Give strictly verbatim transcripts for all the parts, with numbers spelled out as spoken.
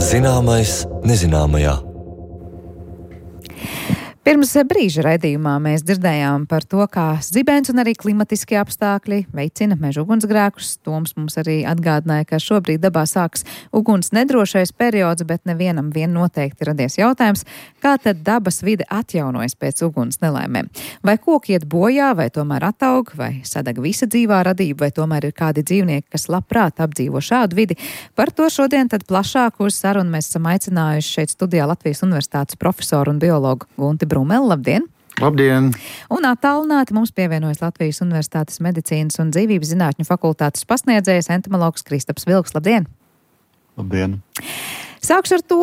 Zināmais nezināmajā. Pirms brīža raidījumā mēs dzirdējām par to, kā zibens un arī klimatiskie apstākļi veicina meža ugunsgrēkus. Toms mums arī atgādināja, ka šobrīd dabā sāks uguns nedrošais periods, bet nevienam vien noteikti radies jautājums, kā tad dabas vide atjaunojas pēc uguns nelaimēm. Vai koki iet bojā, vai tomēr ataug, vai sadeg visa dzīvā radība, vai tomēr ir kādi dzīvnieki, kas labprāt apdzīvo šādu vidi. Par to šodien tad plašāk uz sarunu mēs esam aicinājuši šeit studijā Latvijas Universitātes profesoru un biologu Gunti Brumeli. Labdien! Labdien! Un attālināti mums pievienojas Latvijas Universitātes medicīnas un dzīvības zinātņu fakultātes pasniedzējs entomologs Kristaps Vilks. Labdien! Labdien! Sākšu ar to,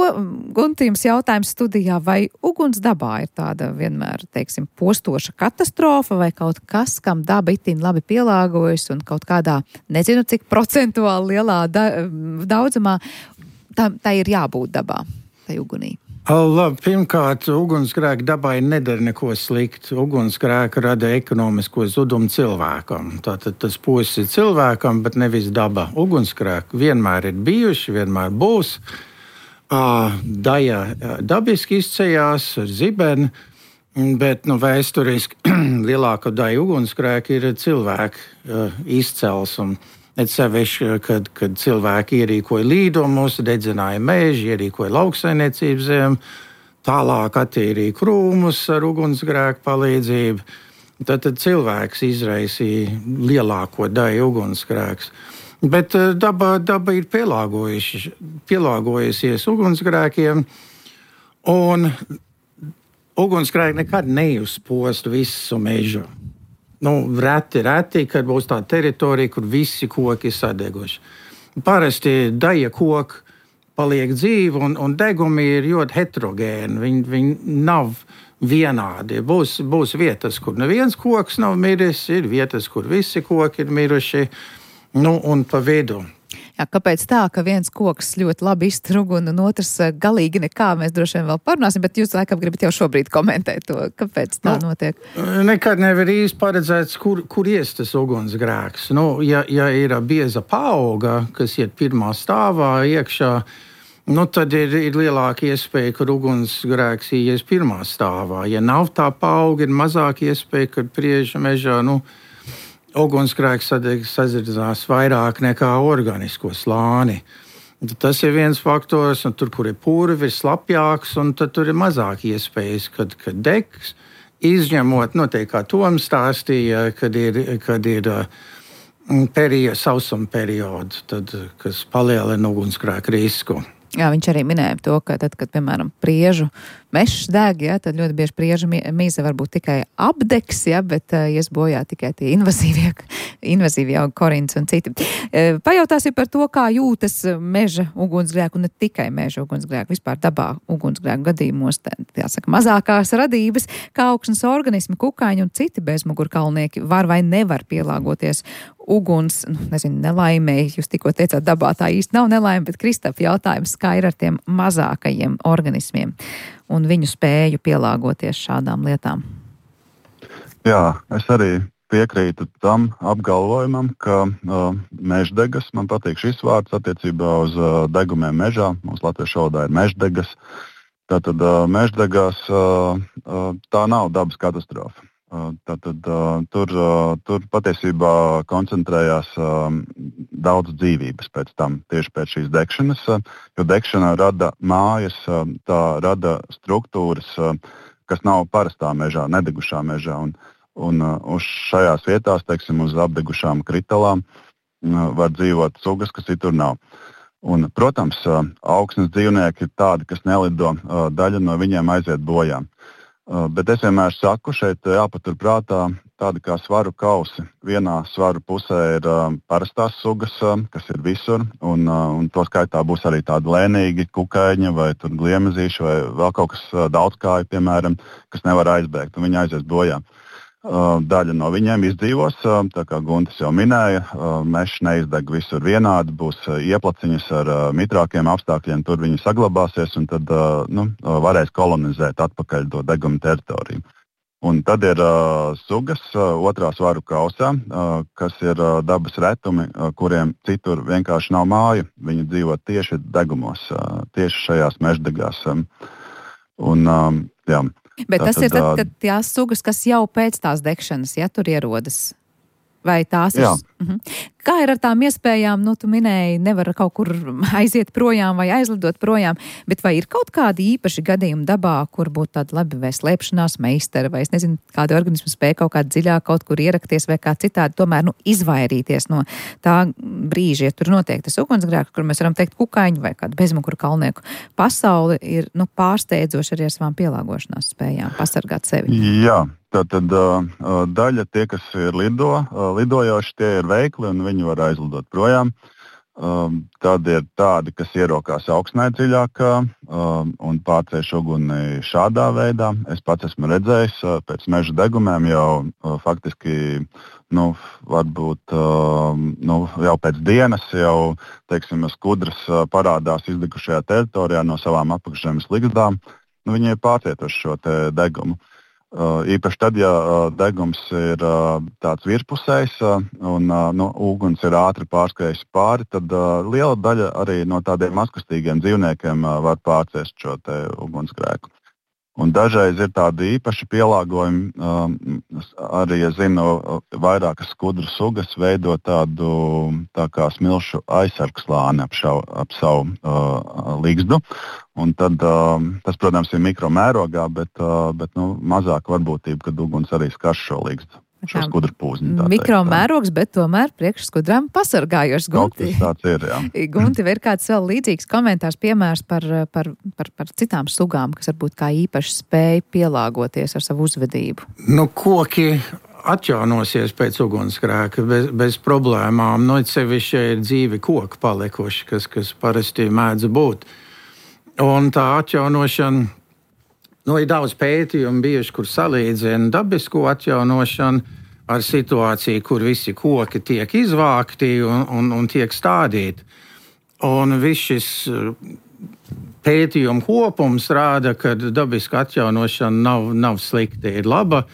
Guntījums jautājums studijā, vai uguns dabā ir tāda vienmēr, teiksim, postoša katastrofa vai kaut kas, kam daba itin labi pielāgojas un kaut kādā, nezinu cik procentuāli lielā da, daudzumā, tā, tā ir jābūt dabā, tai ugunī. Labi, pirmkārt, ugunsgrēki dabai nedara neko sliktu. Ugunsgrēki rada ekonomisko zudumu cilvēkam. Tātad tas posts ir cilvēkam, bet nevis daba. Ugunsgrēki vienmēr ir bijuši, vienmēr būs. Daja dabiski izceļās ar zibeni, bet nu, vēsturiski lielākā daļa ugunsgrēki ir cilvēku izcels. Un et sevišķi, kad, kad cilvēki ierīkoja līdumus, dedzināja meži, ierīkoja lauksaimniecības zemi, tālāk attīrīja krūmus ar ugunsgrēku palīdzību. Tad, tad cilvēks izraisīja lielāko daļu ugunsgrēkus. Bet daba, daba ir pielāgojusies ugunsgrēkiem, un ugunsgrēki nekad neuzpost visu mežu. Nu, reti, reti, kad būs tā teritorija, kur visi koki ir sadeguši. Parasti daļa koku paliek dzīvi, un, un degumi ir ļoti heterogēni. Viņi, viņi nav vienādi. Būs, būs vietas, kur neviens koks nav miris, ir vietas, kur visi koki ir miruši, nu, un pa vidu. Jā, kāpēc tā, ka viens koks ļoti labi iztur uguni un otrs galīgi nekā, mēs droši vien vēl parunāsim, bet jūs laikam gribat jau šobrīd komentēt to, kāpēc tā nu, notiek? Nekad nevar īsti paredzēts, kur, kur ies tas ugunsgrēks. Nu, ja, ja ir bieza paauga, kas iet pirmā stāvā iekšā, nu, tad ir, ir lielāka iespēja, ka ugunsgrēks ies pirmā stāvā. Ja nav tā paauga, ir mazāka iespēja, ka prieža mežā, nu, ugunsgrēks sadzirdās vairāk nekā organisko slāni. Tas ir viens faktors, un tur, kur ir purvi, ir slapjāks, un tad tur ir mazāk iespējas, kad, kad degs, izņemot, noteikti kā Toms stāstīja, kad ir, kad ir periods, sausuma periods, tad, kas palielina ugunsgrēku risku. Jā, viņš arī minēja to, ka tad, kad, piemēram, priežu mežs deg, ja, tad ļoti bieži priežu mīze varbūt tikai apdegs, ja, bet uh, ies bojā tikai tie invazīvie, invazīvie augi, korins un citi. Uh, pajautāsim par to, kā jūtas meža ugunsgrēku, un ne tikai meža ugunsgrēku, vispār dabā ugunsgrēku gadījumos, tā, jāsaka, mazākās radības, kā augsnes organismi, kukaiņi un citi bezmugurkalnieki var vai nevar pielāgoties uguns, nu, nezinu, nelaimēji, jūs tikko teicāt, dabā tā īsti nav nelaime, bet Kristap jautājums, kā ir ar tiem mazākajiem organismiem un viņu spēju pielāgoties šādām lietām? Jā, es arī piekrītu tam apgalvojumam, ka uh, meždegas, man patīk šis vārds attiecībā uz uh, degumiem mežā, mums latviešu valodā ir meždegas, tātad uh, meždegas uh, uh, tā nav dabas katastrofa. Tātad tur, tur patiesībā koncentrējās daudz dzīvības pēc tam, tieši pēc šīs degšanas, jo degšana rada mājas, tā rada struktūras, kas nav parastā mežā, nedegušā mežā. Un, un uz šajās vietās, teiksim, uz apdegušām kritalām var dzīvot sugas, kas citur nav. Un, protams, augsnes dzīvnieki ir tādi, kas nelido, daļa no viņiem aiziet bojā. Bet es vienmēr saku, šeit jāpaturprātā tādi kā svaru kausi. Vienā svaru pusē ir uh, parastās sugas, uh, kas ir visur, un, uh, un to skaitā būs arī tādi lēnīgi kukaiņi vai gliemezīši vai vēl kaut kas uh, daudzkāji, piemēram, kas nevar aizbēgt, un viņi aizies bojā. Uh, daļa no viņiem izdzīvos, uh, tā kā Guntis jau minēja, uh, mežs neizdeg visur vienādi, būs uh, ieplaciņas ar uh, mitrākiem apstākļiem, tur viņi saglabāsies un tad uh, nu, uh, varēs kolonizēt atpakaļ to deguma teritoriju. Un tad ir uh, sugas uh, otrā svaru kausā, uh, kas ir uh, dabas retumi, uh, kuriem citur vienkārši nav māju. Viņi dzīvo tieši degumos, uh, tieši šajās meždegās. Um, un, um, jā, Bet tas tātad, ir tad, kad tās sugas, kas jau pēc tās degšanas, ja tur ierodas? Vai tās ir? Uh-huh. Kā ir ar tām iespējām, nu, tu minēji, nevar kaut kur aiziet projām vai aizlidot projām, bet vai ir kaut kādi īpaši gadījumi dabā, kur būtu tāda labi vai slēpšanās meistara, vai es nezinu, kādi organismi spēja kaut kā dziļāk kaut kur ierakties vai kā citādi, tomēr, nu, izvairīties no tā brīža, ja tur notiek tas ugunsgrēks, kur mēs varam teikt kukaiņu vai kādu bezmuguru kalnieku. Pasauli ir, nu, pārsteidzoši arī ar savām pielāgošanās spējām pasargāt sevi. Jā. Tātad uh, daļa tie, kas ir lido, uh, lidojoši, tie ir veikli un viņi var aizlidot projām. Um, tad ir tādi, kas ierokās augstnē dziļākā um, un pārcēš uguni šādā veidā. Es pats esmu redzējis uh, pēc meža degumiem jau uh, faktiski, nu, varbūt uh, nu, jau pēc dienas jau, teiksim, skudras uh, parādās izdegušajā teritorijā no savām apakšzemes ligzdām. Nu, viņi ir pārcietuši šo te degumu. Uh, īpaši tad, ja uh, degums ir uh, tāds virspusējs uh, un uh, nu, uguns ir ātri pārskrējis pāri, tad uh, liela daļa arī no tādiem mazkustīgiem dzīvniekiem uh, var pārciest šo te ugunsgrēku. Un dažreiz ir tādi īpaši pielāgojumi, uh, arī, es zinu, vairākas skudru sugas veido tādu tā kā smilšu aizsargslāni ap, šau, ap savu uh, ligzdu. Un tad, uh, tas, protams, ir mikromērogā, bet, uh, bet nu, mazāk varbūtība, kad uguns arī skar šo ligzdu. Šo skudru pūzni. Mikromērogs, bet tomēr priekš skudrām pasargājošs. Gunti, tāds ir, jā. Gunti, vai ir kāds vēl līdzīgs komentārs, piemērs par, par, par, par citām sugām, kas varbūt kā īpaši spēj pielāgoties ar savu uzvedību? Nu, koki atjaunosies pēc ugunsgrēka bez, bez problēmām. Nu, sevišķi ir dzīvi koki palikuši, kas, kas parasti mēdz būt. Un tā atjaunošana, nu, ir daudz pētījumu bijuši, kur salīdzina dabisko atjaunošanu ar situāciju, kur visi koki tiek izvākti un, un, un tiek stādīti. Un viss šis pētījumu kopums rāda, ka dabiska atjaunošana nav, nav slikta, ir laba.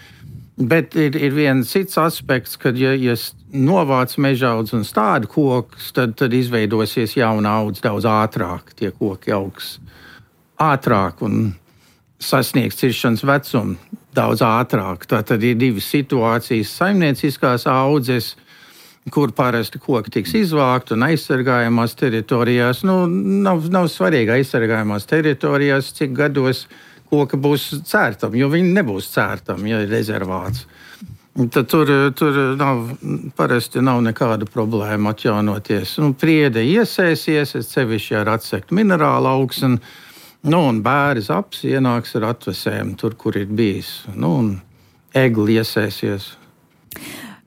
Bet ir, ir viens cits aspekts, kad, ja, ja novāc mežaudz un stāda kokus, tad, tad izveidosies jauna audze daudz ātrāk. Tie koki augs ātrāk un sasniegs ciršanas vecumu daudz ātrāk. Tātad ir divas situācijas saimnieciskās audzes, kur parasti koki tiks izvākt un aizsargājamās teritorijās. Nu, nav, nav svarīgi aizsargājamās teritorijās, cik gados koki būs cērtami, jo viņi nebūs cērtami, ja ir rezervāts. Tad tur, tur nav, parasti nav nekāda problēma atjaunoties. Nu, priede iesēsies, es sevišķi ar atsektu minerālu augsni. Nu, un bēris aps ienāks ar atvesēm tur, kur ir bijis. Nu, un egli iesēsies.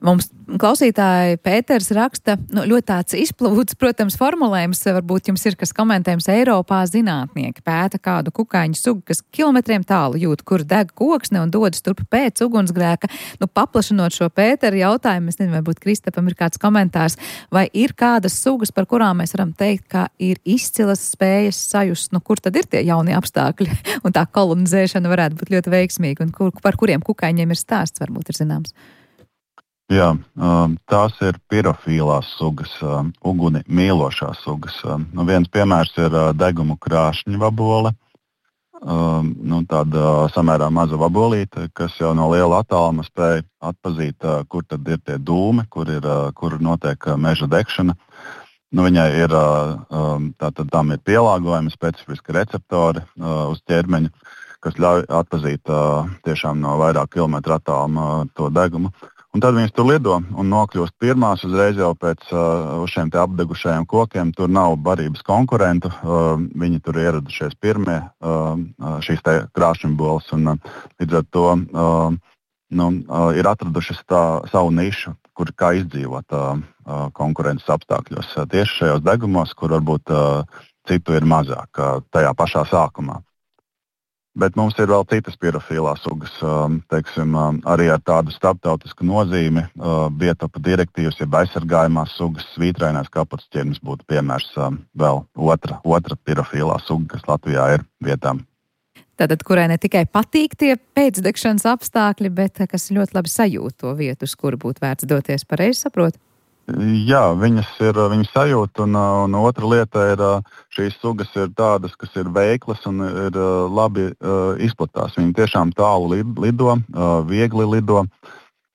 Mums klausītāji Pēters raksta, nu, ļoti tāds izplūds, protams, formulējums, varbūt jums ir kas komentējums. Eiropā zinātnieki pēta kādu kukaiņu sugu, kas kilometriem tālu jūt, kur deg koksne un dodas turp pēc ugunsgrēka. Nu, paplašinot šo Pēteru jautājumu, es nezinu, varbūt Kristapam ir kāds komentārs, vai ir kādas sugas, par kurām mēs varam teikt, ka ir izcilas spējas sajust, nu, kur tad ir tie jaunie apstākļi, un tā kolonizēšana varētu būt ļoti veiksmīga, un kur, par kuriem kukaiņiem ir stāsts, varbūt ir zināms. Jā, tās ir pirofīlās sugas, uguni mīlošās sugas. Nu, viens piemērs ir degumu krāšņu vabole. Nu, tāda samērā maza vabolīte, kas jau no liela attāluma spēja atpazīt, kur tad ir tie dūmi, kur, ir, kur notiek meža degšana. Nu, viņai ir, tātad tam ir pielāgojumi, specifiski receptori uz ķermeņa, kas ļauj atpazīt tiešām no vairāk kilometru attāluma to degumu. Un tad viņas tur lido un nokļūst pirmās uzreiz jau pēc uh, šiem te apdegušajiem kokiem. Tur nav barības konkurentu. Uh, viņi tur ieradušies pirmie, uh, šīs te krāšņboles. Un uh, līdz ar to uh, nu, uh, ir atradušas tā savu nišu, kur kā izdzīvot uh, uh, konkurences apstākļos. Uh, tieši šajos degumos, kur varbūt uh, citu ir mazāk uh, tajā pašā sākumā. Bet mums ir vēl citas pirofīlās sugas, teiksim, arī ar tādu starptautisku nozīmi. Biotopa direktīvas, jeb aizsargājumās sugas, svītrainās kapotes ķirmis būtu piemērs vēl otra, otra pirofīlā suga, kas Latvijā ir vietām. Tātad, kurai ne tikai patīk tie pēcdegšanas apstākļi, bet kas ļoti labi sajūt to vietu, uz kuru būtu vērts doties, pareizi saprot? Jā, viņas ir viņas sajūta, un, un otra lieta ir, šīs sugas ir tādas, kas ir veiklas un ir labi uh, izplatās. Viņi tiešām tālu lido, uh, viegli lido,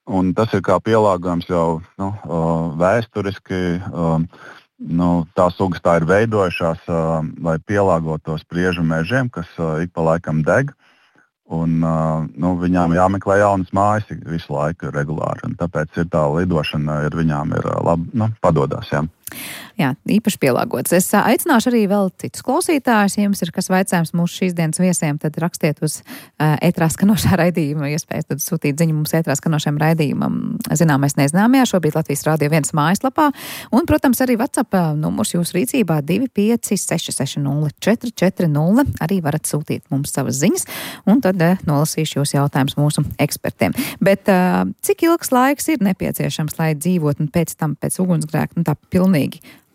un tas ir kā pielāgojums jau nu, uh, vēsturiski. Uh, nu, tās sugas tā ir veidojušās, uh, lai pielāgotos priežu mežiem, kas uh, ik pa laikam deg. Un, uh, nu, viņām jāmeklē jaunas mājas visu laiku regulāri. Tāpēc ir tā lidošana, ir, viņām ir labi nu, padodas. Jā. Jā, īpaši pielāgots. Es aicināšu arī vēl citus klausītājus. Ja jums ir kas vaicājums mūsu šīs dienas viesiem, tad rakstiet uz uh, ētrā skanošā raidījuma. Iespējas tad sūtīt ziņu mums ētrā skanošajam raidījumam. Zināmais nezināmajā, šobrīd Latvijas Rādio viens mājaslapā. Un, protams, arī WhatsApp numurs jūsu rīcībā divi pieci seši seši nulle četri četri nulle. Arī varat sūtīt mums savas ziņas. Un tad uh, nolasīšu jūs jautājumus mūsu ekspertiem. Bet uh, cik ilgs laiks ir nepieciešams, lai dzīvot un pēc tam pēc ugunsgrēka, nu tā pilnīgi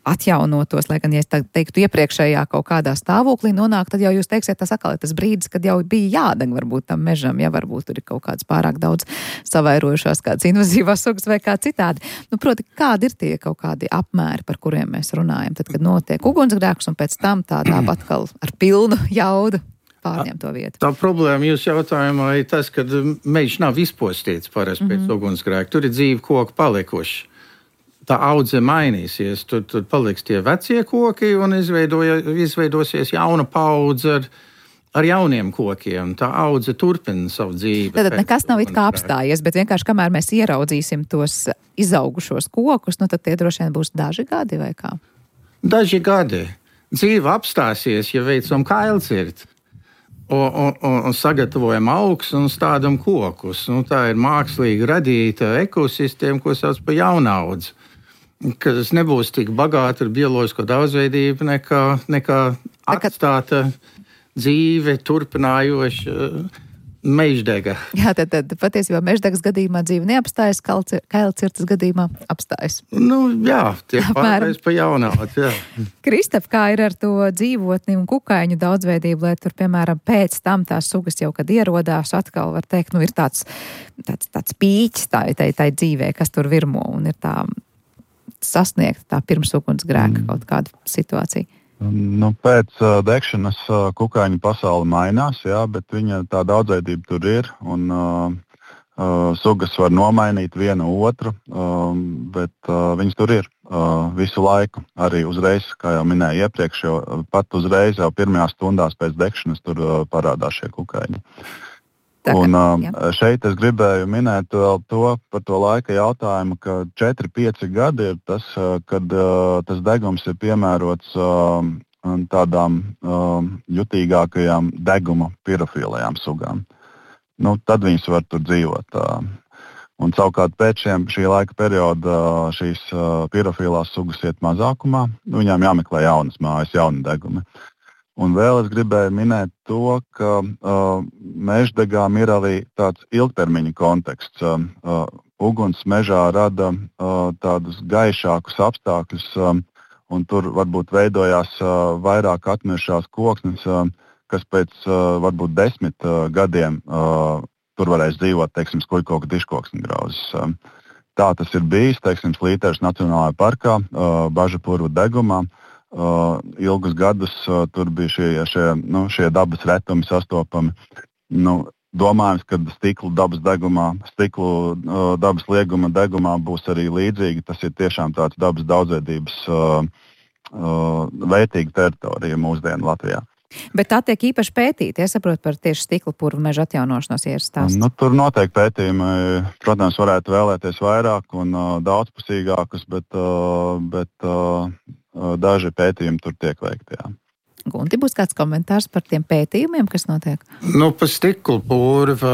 atjaunotos, lai gan, ja es teiktu, iepriekšējā kaut kādā stāvoklī nonāk, tad jau jūs teiksiet, tas atkal ir tas brīdis, kad jau bija jādeg varbūt tam mežam, ja varbūt tur ir kaut kāds pārāk daudz savairojušās, kāds invazīvās sugas vai kā citādi. Nu, proti, kādi ir tie kaut kādi apmēri, par kuriem mēs runājam, tad, kad notiek ugunsgrēks un pēc tam tādā atkal ar pilnu jaudu pārņem to vietu. Tā problēma jūsu jautājumā ir tas, ka mežs nav izpostīts parasti pēc mm-hmm. ugunsgrēka. Tur ir dzīvi koki palikuši. Tā audze mainīsies, tur, tur paliks tie vecie koki un izveidosies jauna paudze ar, ar jauniem kokiem. Tā audze turpina savu dzīvi. Tad nekas nav it kā apstājies, bet vienkārši kamēr mēs ieraudzīsim tos izaugušos kokus, nu tad tie droši vien būs daži gadi vai kā? Daži gadi. Dzīve apstāsies, ja veicam kailcirti. Un, un, un sagatavojam augus un stādam kokus. Nu, tā ir mākslīgi radīta ekosistēma, ko sauc par jaunaudzi. Kas nebūs tik bagāta ar bioloģisko daudzveidību nekā, nekā atstāta dzīve, turpinājoša meždega. Jā, tad, tad patiesībā meždegas gadījumā dzīve neapstājas, kailcirtas gadījumā apstājas. Nu, jā, tiek pārējais pa jaunaudzi, jā. Kristap, kā ir ar to dzīvotni un kukaiņu daudzveidību, lai tur, piemēram, pēc tam tās sugas jau, kad ierodās, atkal var teikt, nu, ir tāds, tāds, tāds pīķis tā, tā, tā dzīvē, kas tur virmo un ir tā sasniegt tā pirms ugunsgrēka mm. kaut kāda situācija. Nu, pēc uh, degšanas uh, kukaiņu pasaule mainās, jā, bet viņa tā daudzveidība tur ir, un uh, uh, sugas var nomainīt vienu otru, uh, bet uh, viņas tur ir uh, visu laiku. Arī uzreiz, kā jau minēju iepriekš, jo pat uzreiz jau pirmajās stundās pēc degšanas tur uh, parādās šie kukaiņi. Tā, un uh, šeit es gribēju minēt vēl to par to laika jautājumu, ka četri pieci gadi ir tas, uh, kad uh, tas degums ir piemērots uh, tādām uh, jutīgākajām deguma pirofīlajām sugām. Nu, tad viņas var tur dzīvot. Uh, un savukārt pēc šiem, šī laika perioda uh, šīs uh, pirofīlās sugas iet mazākumā, viņām jāmeklē jaunas mājas, jauni degumi. Un vēl es gribēju minēt to, ka uh, meždegām ir arī tāds ilgtermiņa konteksts. Uh, uh, uguns mežā rada uh, tādus gaišākus apstākļus, uh, un tur varbūt veidojās uh, vairāk atmiršās koksnes, uh, kas pēc uh, varbūt desmit uh, gadiem uh, tur varēs dzīvot, teiksim, skuļkoku diškoksņgrauzes. Uh, tā tas ir bijis, teiksim, Slīteres Nacionālajā parkā, uh, Bažapurvu degumā. Uh, ilgus gadus uh, tur bija šie, šie, nu, šie dabas retumi sastopami. Nu, domājams, ka stikla dabas degumā, stiklu uh, dabas lieguma degumā būs arī līdzīgi. Tas ir tiešām tāds dabas daudzveidības uh, uh, vērtīga teritorija mūsdienu Latvijā. Bet tā tiek īpaši pētīta, es saprotu par tieši stikla purvu meža atjaunošanos ierstāsts. Nu, tur noteikti pētījumi, protams, varētu vēlēties vairāk un uh, daudzpusīgākus, bet, uh, bet uh, daži pētījumi tur tiek veikti, jā. Gunti, būs kāds komentārs par tiem pētījumiem, kas notiek? Nu, par stikla purvu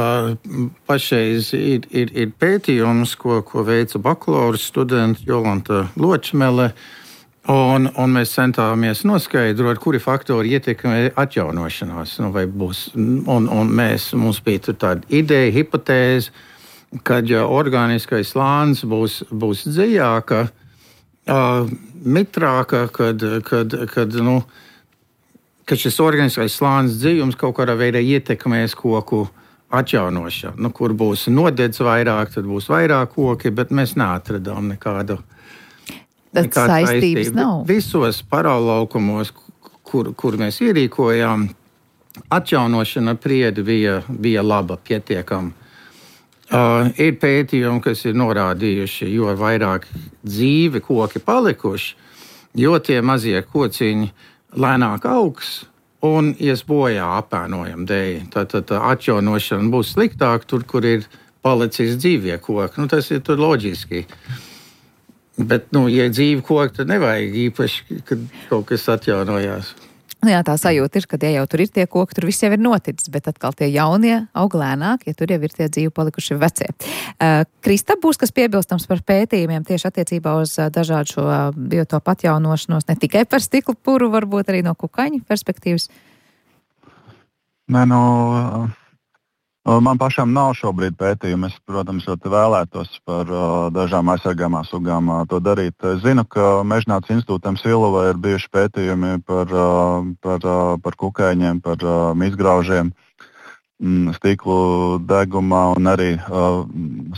pašreiz ir, ir, ir pētījums, ko, ko veica bakalaura studenta Jolanta Ločmele, un, un mēs centāmies noskaidrot, kuri faktori ietekmē atjaunošanās. Nu, vai būs, un, un mēs, mums bija tur tāda ideja, hipotēze, kad ja organiskais slānis būs, būs dziļāka, Uh, mitrāka, kad, kad, kad nu, ka šis organiskais slānis dzīvums kaut kādā veidā ietekmēs koku atjaunošanu. Nu, kur būs nodedz vairāk, tad būs vairāk koki, bet mēs neatradām nekādu. Tad saistības nav. Visos parallaukumos, kur, kur mēs ierīkojām, atjaunošana priedi bija, bija laba, pietiekama. Uh, ir pētījumi, kas ir norādījuši, jo vairāk dzīvi koki palikuši, jo tie mazie kociņi lēnāk augs un ies bojā apēnojam dēļ. Tad atjaunošana būs sliktāk tur, kur ir palicis dzīvie koki. Nu, tas ir tur loģiski. Bet, nu, ja dzīvi koki, tad nevajag īpaši, kad kaut kas atjaunojās. Jā, tā sajūta ir, ka ja jau tur ir tie koki, tur viss jau ir noticis, bet atkal tie jaunie aug lēnāk, ja tur jau ir tie dzīvi palikuši vecie. Uh, Krista, būs kas piebilstams par pētījumiem tieši attiecībā uz uh, dažādu šo uh, biotopu atjaunošanos, ne tikai par stikla puru, varbūt arī no kukaiņu perspektīvas? Nē, nu, man pašam nav šobrīd pētījumi. Es, protams, ļoti vēlētos par uh, dažām aizsargāmām sugām uh, to darīt. Es zinu, ka Mežnācas institūtam Silvā ir bijuši pētījumi par, uh, par, uh, par kukaiņiem, par uh, mizgraužiem, mm, stiklu degumā un arī uh,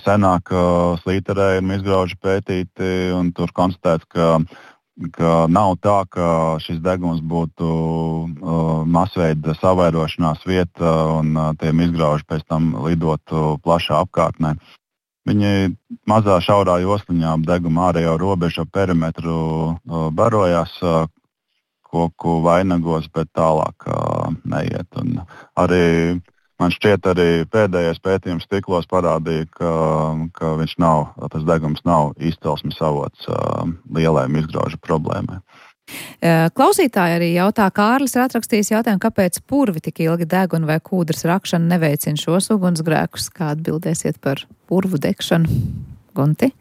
senāk uh, slīterē ir mizgrauži pētīti un tur konstatēts, ka ka nav tā, ka šis degums būtu uh, masveida savairošanās vieta un uh, tie izgrauži pēc tam lidotu plašā apkārtnē. Viņi mazā šaurā josliņā ap deguma ārējo robežu perimetru uh, barojās uh, koku vainagos, bet tālāk uh, neiet. Un arī man šķiet, arī pēdējais pētījums stiklos parādīja, ka, ka viņš nav, tas degums nav izcelsmes avots uh, lielai izgraužu problēmai. Klausītāji arī jautā, Kārlis ir atrakstījis jautājumu, kāpēc purvi tik ilgi deg un vai kūdras rakšana neveicina šos ugunsgrēkus? Kā atbildēsiet par purvu degšanu? Gunti?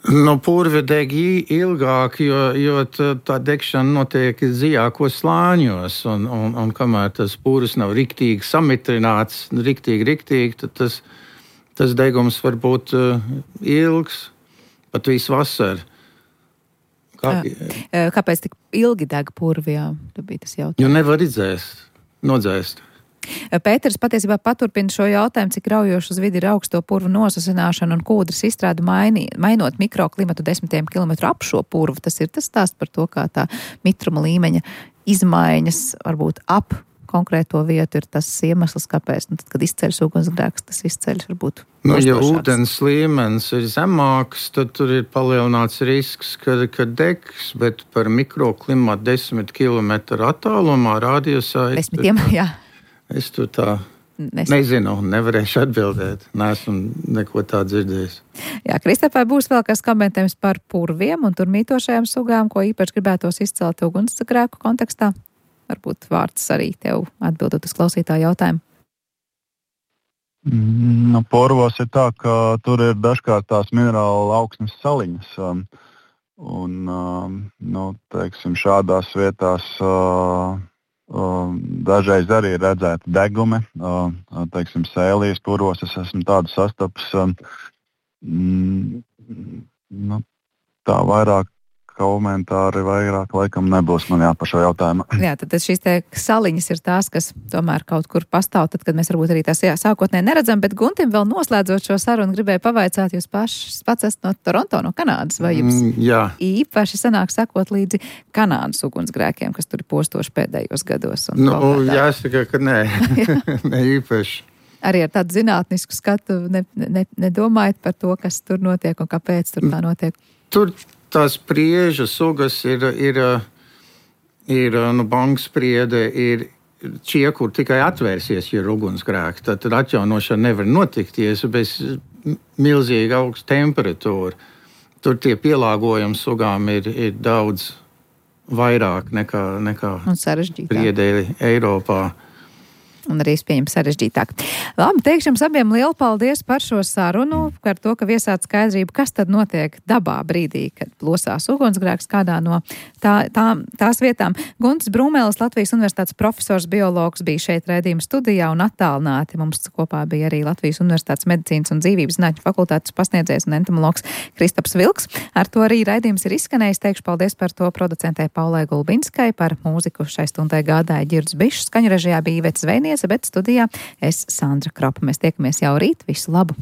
Nu, purvi deg ilgāk, jo, jo tā degšana notiek dziļākos slāņos, un, un, un kamēr tas purvs nav riktīgi samitrināts, riktīgi, riktīgi, tad tas, tas degums var būt uh, ilgs, pat visu vasaru. Kā... Kāpēc tik ilgi deg purvi? Jā, tā bija tas jautājums. Jo nevar izdzēst, nodzēst. Pēters patiesībā paturpina šo jautājumu, cik raujoši uz vidi ir augsto purvu nosasināšana un kūdras izstrāde mainī, mainot mikroklimatu desmitiem kilometru ap šo purvu. Tas ir tas stāsts par to, kā tā mitruma līmeņa izmaiņas varbūt ap konkrēto vietu ir tas iemesls, kāpēc. Nu, tad, kad izceļas ugunsgrēks, tas izceļas varbūt. Nu, ja ūdens līmenis ir zemāks, tad tur ir palielināts risks, ka, ka degs, bet par mikroklimatu desmit kilometru attālumā rādījusā. Desmitiem, jā. Es tur tā Nes... nezinu, nevarēšu atbildēt. Neesmu neko tādu dzirdējis. Jā, Kristapai būs vēl kas komentējums par purviem un tur mītošajām sugām, ko īpaši gribētos izcelt ugunsgrēku kontekstā. Varbūt vārds arī tev atbildot uz klausītāju jautājumu. Nu, purvos ir tā, ka tur ir dažkārt tās minerāla augsnes saliņas. Um, un, um, nu, teiksim, šādās vietās... Uh, Uh, dažreiz arī ir redzēti degumi, uh, teiksim, sēlijas purvos, es esmu tādu sastapis. Uh, mm, nu, tā vairāk komentāri vairāk laikam nebūs man jā par šo jautājumu. Jā, tad šīs te saliņas ir tās, kas tomēr kaut kur pastāv, tad, kad mēs varbūt arī tās jā, sākotnē neredzam, bet Guntim vēl noslēdzot šo sarunu gribēju pavaicāt, jūs paši pats esat no Toronto, no Kanādas, vai jums mm, jā. īpaši sanāk sekot līdzi Kanādas ugunsgrēkiem, kas tur ir postoši pēdējos gados? Nu, jāsaka, ka nē, ne īpaši. Arī ar tādu zinātnisku skatu ne, ne, nedomājat par to, kas tur notiek un kāpēc tur tā notiek? Tur tās prieža sugas ir, ir, ir nu, bankspriede, ir šie, kur tikai atvērsies, ja ir ugunsgrēki. Tad, tad atjaunošana nevar notikties bez milzīga augsta temperatūra. Tur tie pielāgojumi sugām ir, ir daudz vairāk nekā, nekā priedēļi Eiropā. un arī pieņem sarežģītāk. Labi, teikšu jums abiem lielu paldies par šo sarunu, par to, ka viesāt skaidrību, kas tad notiek dabā brīdī, kad plosās ugunsgrēks kādā no tā, tā, tās vietām. Guntis Brūmelis, Latvijas Universitātes profesors, biologs, bija šeit raidījuma studijā un attālināti. Mums kopā bija arī Latvijas Universitātes medicīnas un dzīvības zinātņu fakultātes pasniedzējs un entomologs Kristaps Vilks. Ar to arī raidījums ir izskanējis. Teikšu paldies par to producentē Paulai Gulbinskai, par mūziku šai stundai gādāja Ģirds Bišs, skaņu režijā bija Iveta Zveiniece, bet studijā es Sandra Kropa. Mēs tiekamies jau rīt. Visu labu!